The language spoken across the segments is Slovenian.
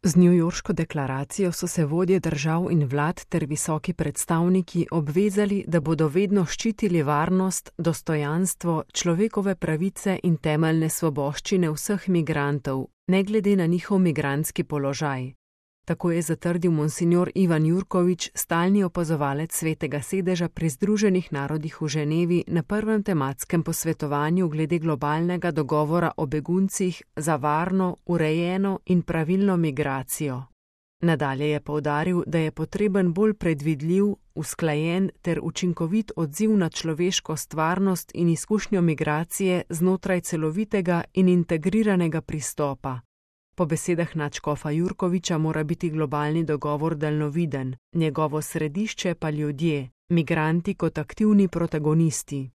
Z newyorško deklaracijo so se vodje držav in vlad ter visoki predstavniki obvezali, da bodo vedno ščitili varnost, dostojanstvo, človekove pravice in temeljne svoboščine vseh migrantov, ne glede na njihov migrantski položaj. Tako je zatrdil monsignor Ivan Jurkovič, stalni opazovalec Svetega sedeža pri Združenih narodih v Ženevi na prvem tematskem posvetovanju glede globalnega dogovora o beguncih za varno, urejeno in pravilno migracijo. Nadalje je poudaril, da je potreben bolj predvidljiv, usklajen ter učinkovit odziv na človeško stvarnost in izkušnjo migracije znotraj celovitega in integriranega pristopa. Po besedah nadškofa Jurkoviča mora biti globalni dogovor daljnoviden, njegovo središče pa ljudje, migranti kot aktivni protagonisti.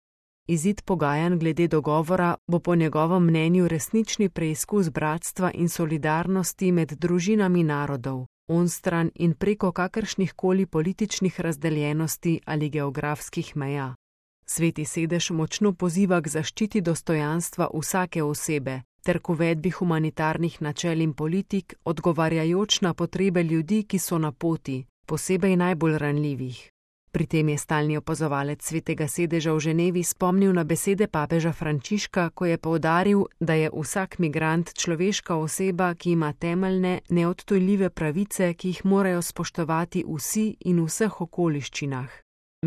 Izid pogajanj glede dogovora bo po njegovem mnenju resnični preizkus bratstva in solidarnosti med družinami narodov, onstran in preko kakršnihkoli političnih razdeljenosti ali geografskih meja. Sveti sedež močno poziva k zaščiti dostojanstva vsake osebe ter k uvedbi humanitarnih načel in politik, odgovarjajoč na potrebe ljudi, ki so na poti, posebej najbolj ranljivih. Pri tem je stalni opazovalec Svetega sedeža v Ženevi spomnil na besede papeža Frančiška, ko je poudaril, da je vsak migrant človeška oseba, ki ima temeljne, neodtujljive pravice, ki jih morajo spoštovati vsi in v vseh okoliščinah.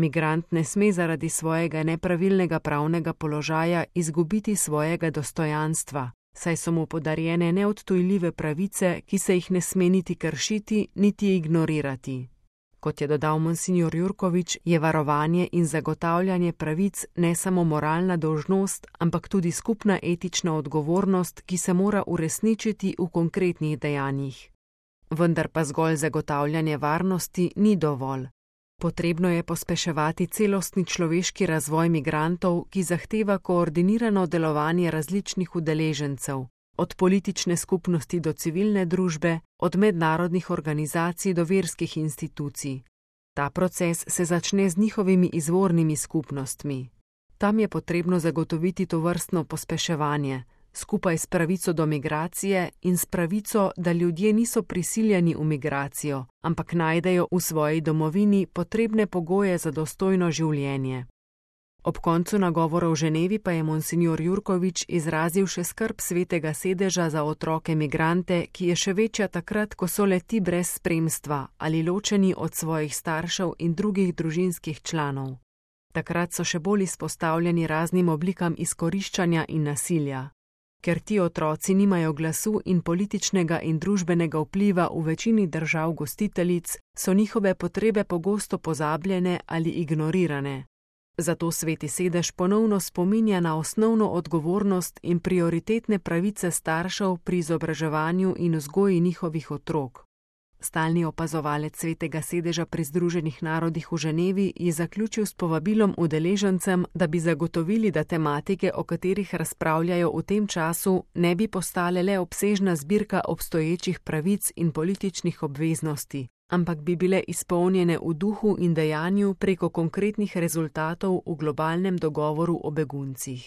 Migrant ne sme zaradi svojega nepravilnega pravnega položaja izgubiti svojega dostojanstva, saj so mu podarjene neodtujljive pravice, ki se jih ne sme niti kršiti, niti ignorirati. Kot je dodal monsignor Jurkovič, je varovanje in zagotavljanje pravic ne samo moralna dolžnost, ampak tudi skupna etična odgovornost, ki se mora uresničiti v konkretnih dejanjih. Vendar pa zgolj zagotavljanje varnosti ni dovolj. Potrebno je pospeševati celostni človeški razvoj migrantov, ki zahteva koordinirano delovanje različnih udeležencev, od politične skupnosti do civilne družbe, od mednarodnih organizacij do verskih institucij. Ta proces se začne z njihovimi izvornimi skupnostmi. Tam je potrebno zagotoviti tovrstno pospeševanje, skupaj s pravico do migracije in s pravico, da ljudje niso prisiljeni v migracijo, ampak najdejo v svoji domovini potrebne pogoje za dostojno življenje. Ob koncu nagovora v Ženevi pa je monsignor Jurkovič izrazil še skrb Svetega sedeža za otroke migrante, ki je še večja takrat, ko so le-ti brez spremstva ali ločeni od svojih staršev in drugih družinskih članov. Takrat so še bolj izpostavljeni raznim oblikam izkoriščanja in nasilja. Ker ti otroci nimajo glasu in političnega in družbenega vpliva v večini držav gostiteljic, so njihove potrebe pogosto pozabljene ali ignorirane. Zato Sveti sedež ponovno spominja na osnovno odgovornost in prioritetne pravice staršev pri izobraževanju in vzgoji njihovih otrok. Stalni opazovalec Svetega sedeža pri Združenih narodih v Ženevi je zaključil s povabilom udeležencem, da bi zagotovili, da tematike, o katerih razpravljajo v tem času, ne bi postale le obsežna zbirka obstoječih pravic in političnih obveznosti, ampak bi bile izpolnjene v duhu in dejanju preko konkretnih rezultatov v globalnem dogovoru o beguncih.